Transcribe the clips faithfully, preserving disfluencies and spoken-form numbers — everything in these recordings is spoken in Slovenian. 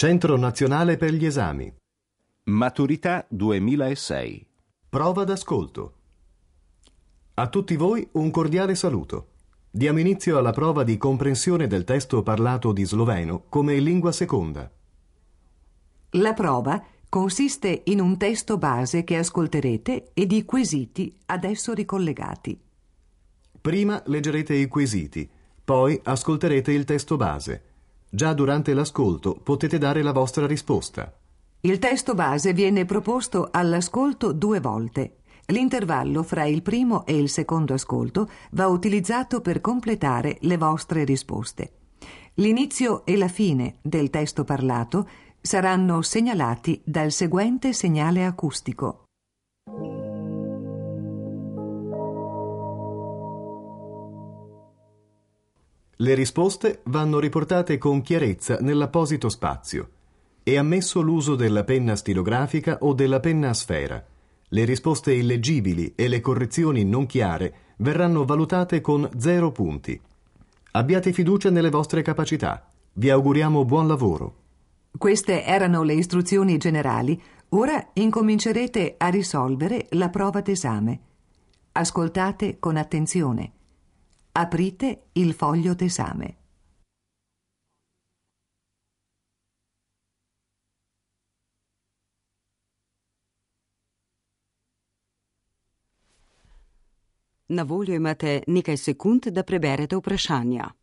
Centro Nazionale per gli Esami. Maturità duemilasei. Prova d'ascolto. A tutti voi un cordiale saluto. Diamo inizio alla prova di comprensione del testo parlato di sloveno come lingua seconda. La prova consiste in un testo base che ascolterete e di quesiti ad esso ricollegati. Prima leggerete i quesiti, poi ascolterete il testo base. Già durante l'ascolto potete dare la vostra risposta. Il testo base viene proposto all'ascolto due volte. L'intervallo fra il primo e il secondo ascolto va utilizzato per completare le vostre risposte. L'inizio e la fine del testo parlato saranno segnalati dal seguente segnale acustico. Le risposte vanno riportate con chiarezza nell'apposito spazio. È ammesso l'uso della penna stilografica o della penna a sfera. Le risposte illeggibili e le correzioni non chiare verranno valutate con zero punti. Abbiate fiducia nelle vostre capacità. Vi auguriamo buon lavoro. Queste erano le istruzioni generali. Ora incomincerete a risolvere la prova d'esame. Ascoltate con attenzione. Aprite il foglio d'esame. Na voljo imate nekaj sekund, da preberete vprašanja.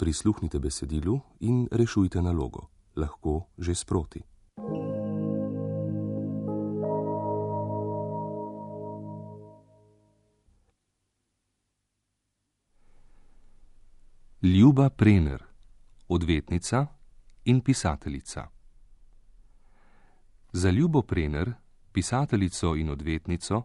Prisluhnite besedilu in rešujte nalogo, lahko že sproti. Ljuba Prener, odvetnica in pisateljica. Za Ljubo Prener, pisateljico in odvetnico,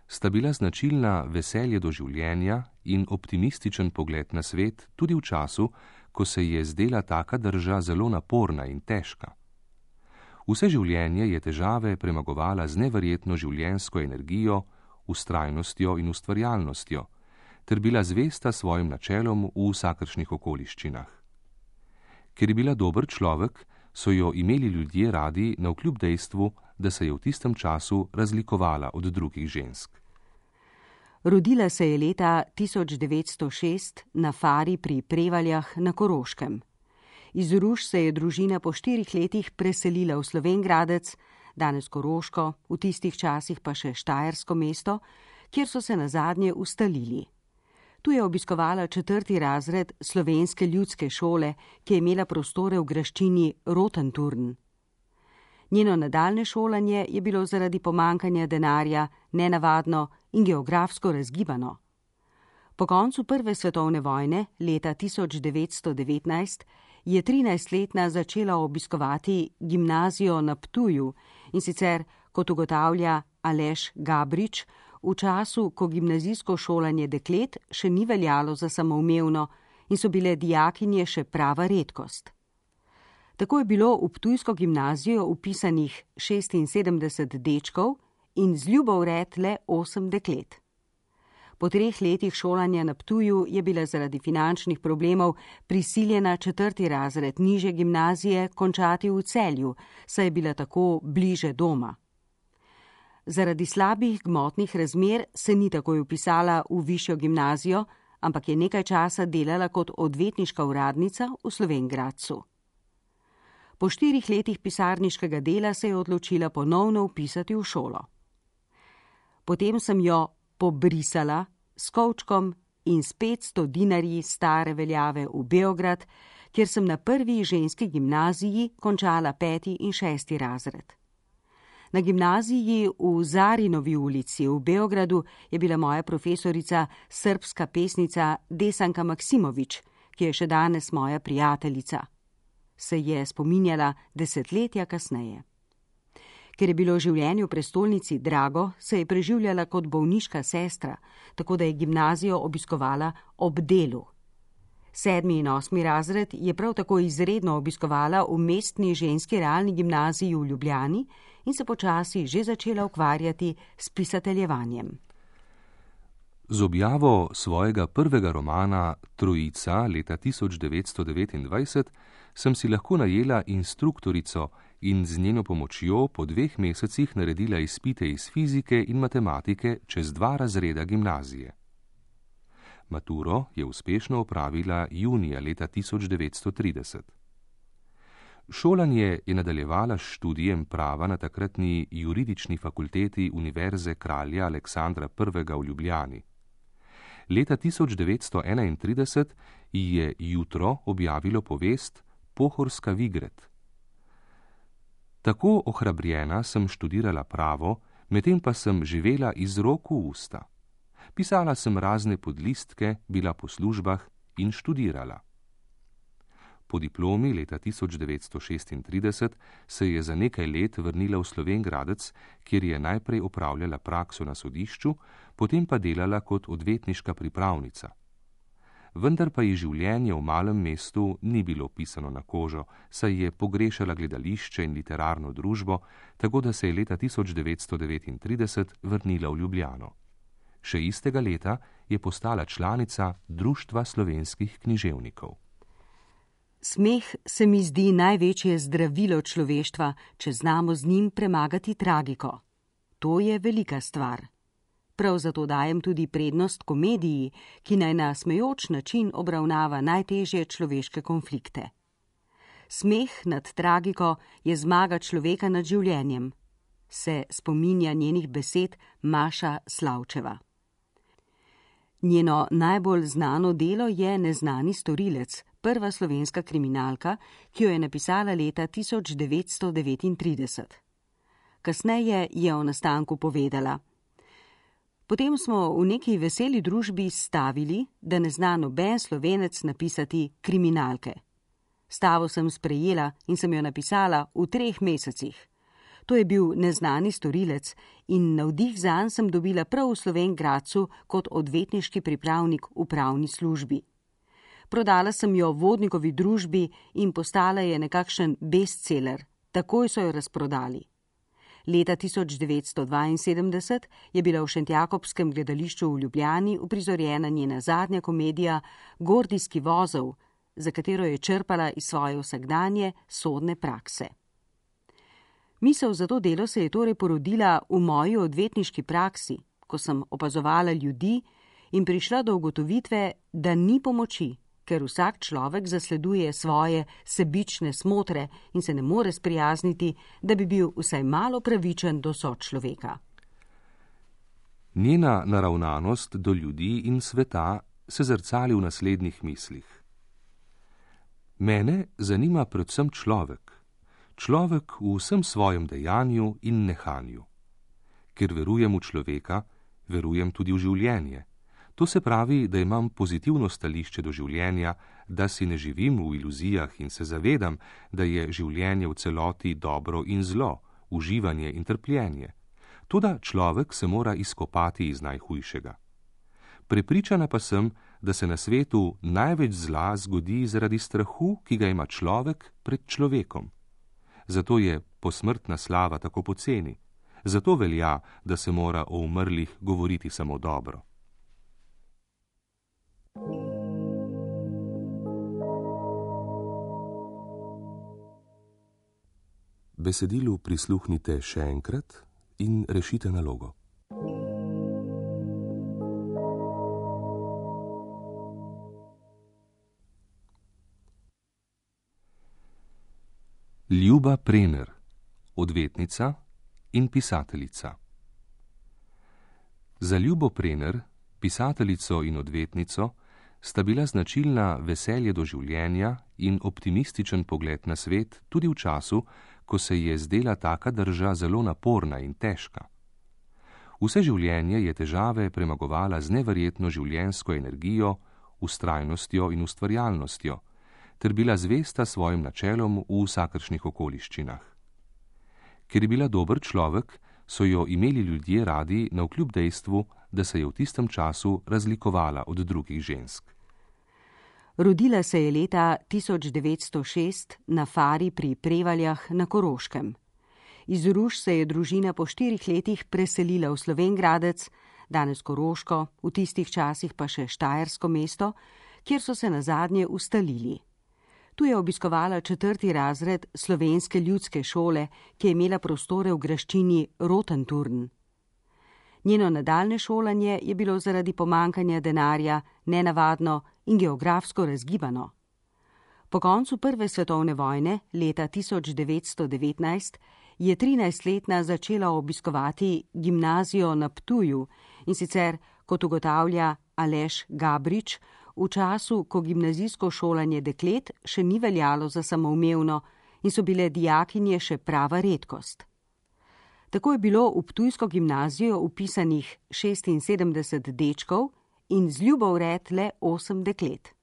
sta bila značilna veselje do življenja in optimističen pogled na svet tudi v času, ko se je zdela taka drža zelo naporna in težka. Vse življenje je težave premagovala z neverjetno življenjsko energijo, vztrajnostjo in ustvarjalnostjo, ter bila zvesta svojim načelom v vsakršnih okoliščinah. Ker je bila dober človek, so jo imeli ljudje radi navkljub dejstvu, da se je v tistem času razlikovala od drugih žensk. Rodila se je leta tisoč devetsto šest na Fari pri Prevaljah na Koroškem. Iz Ruš se je družina po štirih letih preselila v Slovenj Gradec, danes Koroško, v tistih časih pa še Štajersko mesto, kjer so se nazadnje ustalili. Tu je obiskovala četrti razred slovenske ljudske šole, ki je imela prostore v graščini Rotenturn. Njeno nadaljne šolanje je bilo zaradi pomankanja denarja nenavadno in geografsko razgibano. Po koncu prve svetovne vojne, leta tisoč devetsto devetnajst, je trinajstletna začela obiskovati gimnazijo na Ptuju, in sicer, kot ugotavlja Aleš Gabrič, v času, ko gimnazijsko šolanje deklet še ni veljalo za samoumevno in so bile dijakinje še prava redkost. Tako je bilo v ptujsko gimnazijo upisanih šestinsedemdeset dečkov in z ljubo vred le osem deklet. Po treh letih šolanja na Ptuju je bila zaradi finančnih problemov prisiljena četrti razred nižje gimnazije končati v Celju, saj je bila tako bliže doma. Zaradi slabih gmotnih razmer se ni takoj vpisala v višjo gimnazijo, ampak je nekaj časa delala kot odvetniška uradnica v Slovenj Gradcu. Po štirih letih pisarniškega dela se je odločila ponovno vpisati v šolo. Potem sem jo pobrisala s kovčkom in s petsto dinarji stare veljave v Beograd, kjer sem na prvi ženski gimnaziji končala peti in šesti razred. Na gimnaziji v Zarinovi ulici v Beogradu je bila moja profesorica srbska pesnica Desanka Maksimovič, ki je še danes moja prijateljica. Se je spominjala desetletja kasneje. Ker je bilo življenje v prestolnici drago, se je preživljala kot bolniška sestra, tako da je gimnazijo obiskovala ob delu. Sedmi in osmi razred je prav tako izredno obiskovala v mestni ženski realni gimnaziji v Ljubljani in se počasi že začela ukvarjati s pisateljevanjem. Z objavo svojega prvega romana Trojica leta tisoč devetsto devetindvajset sem si lahko najela instruktorico in z njeno pomočjo po dveh mesecih naredila izpite iz fizike in matematike čez dva razreda gimnazije. Maturo je uspešno opravila junija leta tisoč devetsto trideset. Šolanje je nadaljevala s študijem prava na takratni juridični fakulteti Univerze kralja Aleksandra prvega v Ljubljani. Leta tisoč devetsto enaintrideset ji je Jutro objavilo povest Pohorska Vigret. Tako ohrabrjena sem študirala pravo, medtem pa sem živela iz rok v usta. Pisala sem razne podlistke, bila po službah in študirala. Po diplomi leta tisoč devetsto šestintrideset se je za nekaj let vrnila v Slovenj Gradec, kjer je najprej opravljala prakso na sodišču, potem pa delala kot odvetniška pripravnica. Vendar pa ji življenje v malem mestu ni bilo pisano na kožo, saj je pogrešala gledališče in literarno družbo, tako da se je leta tisoč devetsto devetintrideset vrnila v Ljubljano. Še istega leta je postala članica Društva slovenskih književnikov. Smeh se mi zdi največje zdravilo človeštva, če znamo z njim premagati tragiko. To je velika stvar. Prav zato dajem tudi prednost komediji, ki naj na smejoč način obravnava najtežje človeške konflikte. Smeh nad tragiko je zmaga človeka nad življenjem, se spominja njenih besed Maša Slavčeva. Njeno najbolj znano delo je Neznani storilec, prva slovenska kriminalka, ki jo je napisala leta tisoč devetsto devetintrideset. Kasneje je o nastanku povedala: Potem smo v neki veseli družbi stavili, da ne zna noben Slovenec napisati kriminalke. Stavo sem sprejela in sem jo napisala v treh mesecih. To je bil Neznani storilec in navdih zanj sem dobila prav v Slovenj Gradcu kot odvetniški pripravnik v pravni službi. Prodala sem jo vodnikovi družbi in postala je nekakšen bestseller. Takoj so jo razprodali. Leta tisoč devetsto dvainsedemdeset je bila v Šentjakobskem gledališču v Ljubljani uprizorjena njena zadnja komedija Gordijski vozel, za katero je črpala iz svoje vsakdanje sodne prakse. Misel za to delo se je torej porodila v moji odvetniški praksi, ko sem opazovala ljudi in prišla do ugotovitve, da ni pomoči, ker vsak človek zasleduje svoje sebične smotre in se ne more sprijazniti, da bi bil vsaj malo pravičen do sočloveka. Njena naravnanost do ljudi in sveta se zrcali v naslednjih mislih. Mene zanima predvsem človek, človek v vsem svojem dejanju in nehanju. Ker verujem v človeka, verujem tudi v življenje. To se pravi, da imam pozitivno stališče do življenja, da si ne živim v iluzijah in se zavedam, da je življenje v celoti dobro in zlo, uživanje in trpljenje. Toda človek se mora izkopati iz najhujšega. Prepričana pa sem, da se na svetu največ zla zgodi zaradi strahu, ki ga ima človek pred človekom. Zato je posmrtna slava tako poceni. Zato velja, da se mora o umrlih govoriti samo dobro. Besedilu prisluhnite še enkrat in rešite nalogo. Ljuba Prener, odvetnica in pisateljica. Za Ljubo Prener, pisateljico in odvetnico, sta bila značilna veselje do življenja in optimističen pogled na svet tudi v času, ko se je zdela taka drža zelo naporna in težka. Vse življenje je težave premagovala z neverjetno življenjsko energijo, vztrajnostjo in ustvarjalnostjo, ter bila zvesta svojim načelom v vsakršnih okoliščinah. Ker je bila dober človek, so jo imeli ljudje radi navkljub dejstvu, da se je v tistem času razlikovala od drugih žensk. Rodila se je leta tisoč devetsto šest na Fari pri Prevaljah na Koroškem. Iz Ruš se je družina po štirih letih preselila v Slovenj Gradec, danes Koroško, v tistih časih pa še Štajersko mesto, kjer so se nazadnje ustalili. Tu je obiskovala četrti razred slovenske ljudske šole, ki je imela prostore v graščini Rotenturn. Njeno nadaljne šolanje je bilo zaradi pomankanja denarja nenavadno in geografsko razgibano. Po koncu prve svetovne vojne, leta tisoč devetsto devetnajst, je trinajstletna začela obiskovati gimnazijo na Ptuju, in sicer, kot ugotavlja Aleš Gabrič, v času, ko gimnazijsko šolanje deklet še ni veljalo za samoumevno in so bile dijakinje še prava redkost. Tako je bilo v ptujsko gimnazijo vpisanih šestinsedemdeset dečkov in z ljubo vred le osem deklet.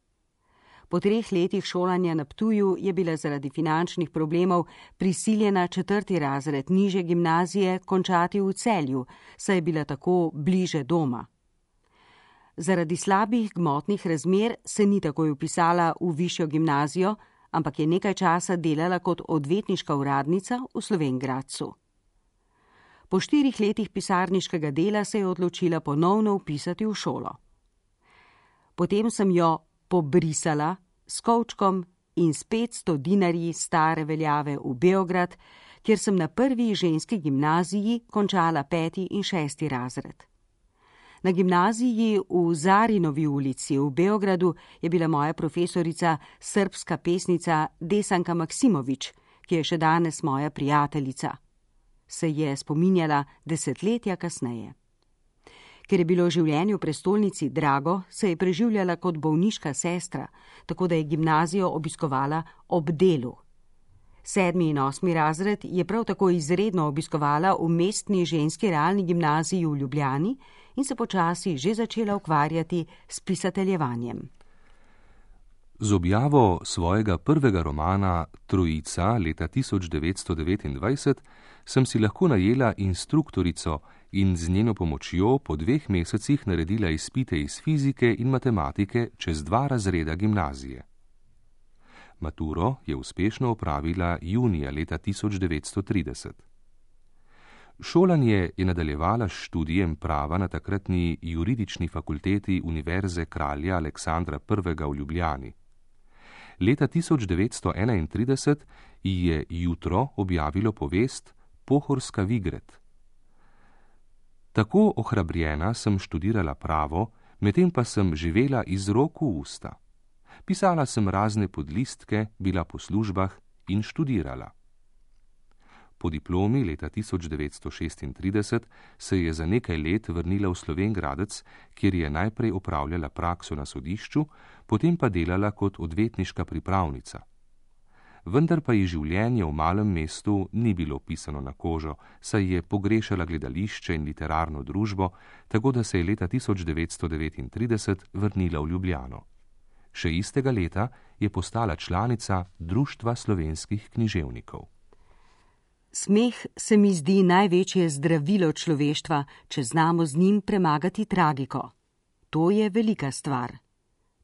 Po treh letih šolanja na Ptuju je bila zaradi finančnih problemov prisiljena četrti razred nižje gimnazije končati v Celju, saj je bila tako bliže doma. Zaradi slabih gmotnih razmer se ni takoj vpisala v višjo gimnazijo, ampak je nekaj časa delala kot odvetniška uradnica v Slovenj Gradcu. Po štirih letih pisarniškega dela se je odločila ponovno vpisati v šolo. Potem sem jo pobrisala s kovčkom in s petsto dinarji stare veljave v Beograd, kjer sem na prvi ženski gimnaziji končala peti in šesti razred. Na gimnaziji v Zarinovi ulici v Beogradu je bila moja profesorica srbska pesnica Desanka Maksimovič, ki je še danes moja prijateljica. Se je spominjala desetletja kasneje. Ker je bilo življenje v prestolnici drago, se je preživljala kot bolniška sestra, tako da je gimnazijo obiskovala ob delu. Sedmi in osmi razred je prav tako izredno obiskovala v mestni ženski realni gimnaziji v Ljubljani in se počasi že začela ukvarjati s pisateljevanjem. Z objavo svojega prvega romana Trojica leta tisoč devetsto devetindvajset sem si lahko najela instruktorico in z njeno pomočjo po dveh mesecih naredila izpite iz fizike in matematike čez dva razreda gimnazije. Maturo je uspešno opravila junija leta tisoč devetsto trideset. Šolanje je nadaljevala s študijem prava na takratni juridični fakulteti Univerze kralja Aleksandra prvega v Ljubljani. Leta tisoč devetsto enaintrideset ji je Jutro objavilo povest Pohorska Vigret. Tako ohrabrjena sem študirala pravo, medtem pa sem živela iz rok v usta. Pisala sem razne podlistke, bila po službah in študirala. Po diplomi leta tisoč devetsto šestintrideset se je za nekaj let vrnila v Slovenj Gradec, kjer je najprej opravljala prakso na sodišču, potem pa delala kot odvetniška pripravnica. Vendar pa ji življenje v malem mestu ni bilo pisano na kožo, saj je pogrešala gledališče in literarno družbo, tako da se je leta tisoč devetsto devetintrideset vrnila v Ljubljano. Še istega leta je postala članica Društva slovenskih književnikov. Smeh se mi zdi največje zdravilo človeštva, če znamo z njim premagati tragiko. To je velika stvar.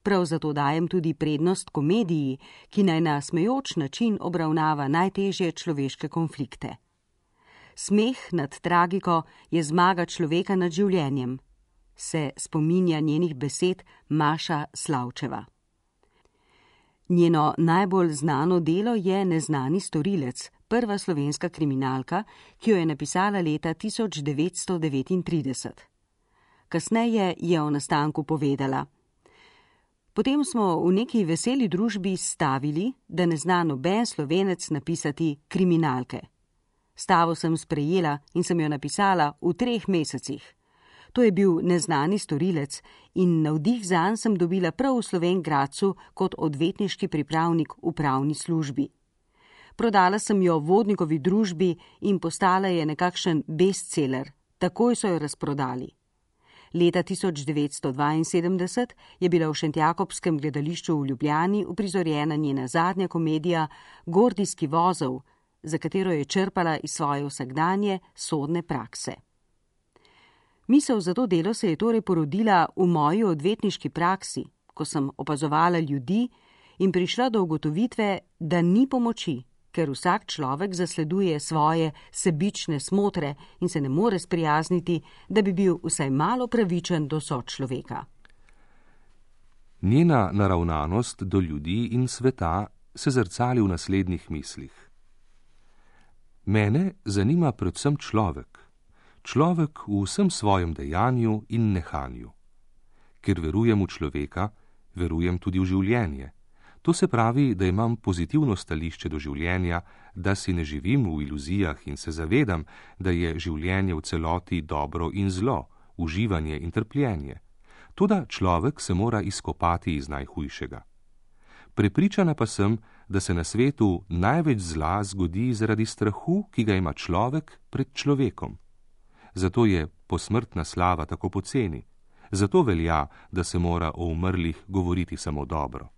Prav zato dajem tudi prednost komediji, ki naj na smejoč način obravnava najtežje človeške konflikte. Smeh nad tragiko je zmaga človeka nad življenjem, se spominja njenih besed Maša Slavčeva. Njeno najbolj znano delo je Neznani storilec, prva slovenska kriminalka, ki jo je napisala leta tisoč devetsto devetintrideset. Kasneje je o nastanku povedala: Potem smo v neki veseli družbi stavili, da ne zna noben Slovenec napisati kriminalke. Stavo sem sprejela in sem jo napisala v treh mesecih. To je bil Neznani storilec in navdih zanj sem dobila prav v Slovenj Gradcu kot odvetniški pripravnik v pravni službi. Prodala sem jo Vodnikovi družbi in postala je nekakšen bestseller. Takoj so jo razprodali. Leta tisoč devetsto dvainsedemdeset je bila v Šentjakobskem gledališču v Ljubljani uprizorjena njena zadnja komedija Gordijski vozel, za katero je črpala iz svoje vsakdanje sodne prakse. Misel za to delo se je torej porodila v moji odvetniški praksi, ko sem opazovala ljudi in prišla do ugotovitve, da ni pomoči, ker vsak človek zasleduje svoje sebične smotre in se ne more sprijazniti, da bi bil vsaj malo pravičen do sočloveka. Njena naravnanost do ljudi in sveta se zrcali v naslednjih mislih. Mene zanima predvsem človek, človek v vsem svojem dejanju in nehanju. Ker verujem v človeka, verujem tudi v življenje. To se pravi, da imam pozitivno stališče do življenja, da si ne živim v iluzijah in se zavedam, da je življenje v celoti dobro in zlo, uživanje in trpljenje. Toda človek se mora izkopati iz najhujšega. Prepričana pa sem, da se na svetu največ zla zgodi zaradi strahu, ki ga ima človek pred človekom. Zato je posmrtna slava tako poceni. Zato velja, da se mora o umrlih govoriti samo dobro.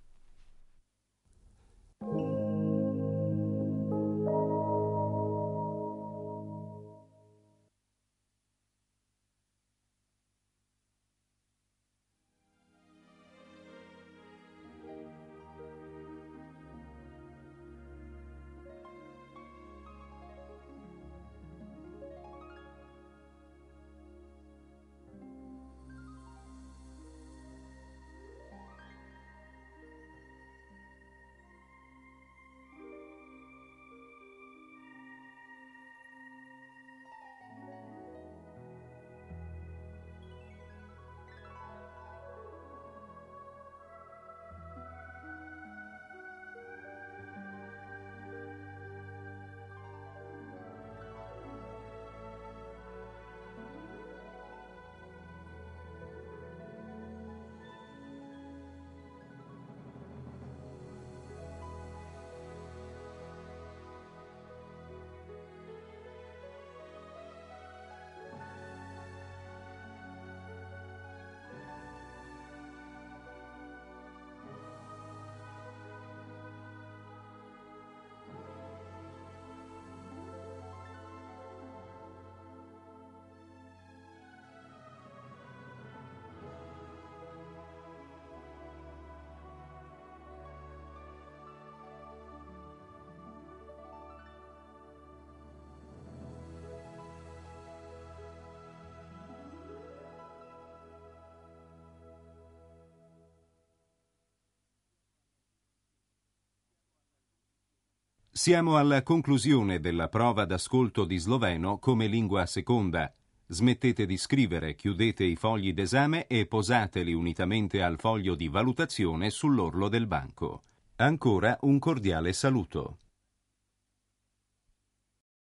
Siamo alla conclusione della prova d'ascolto di sloveno come lingua seconda. Smettete di scrivere, chiudete i fogli d'esame e posateli unitamente al foglio di valutazione sull'orlo del banco. Ancora un cordiale saluto.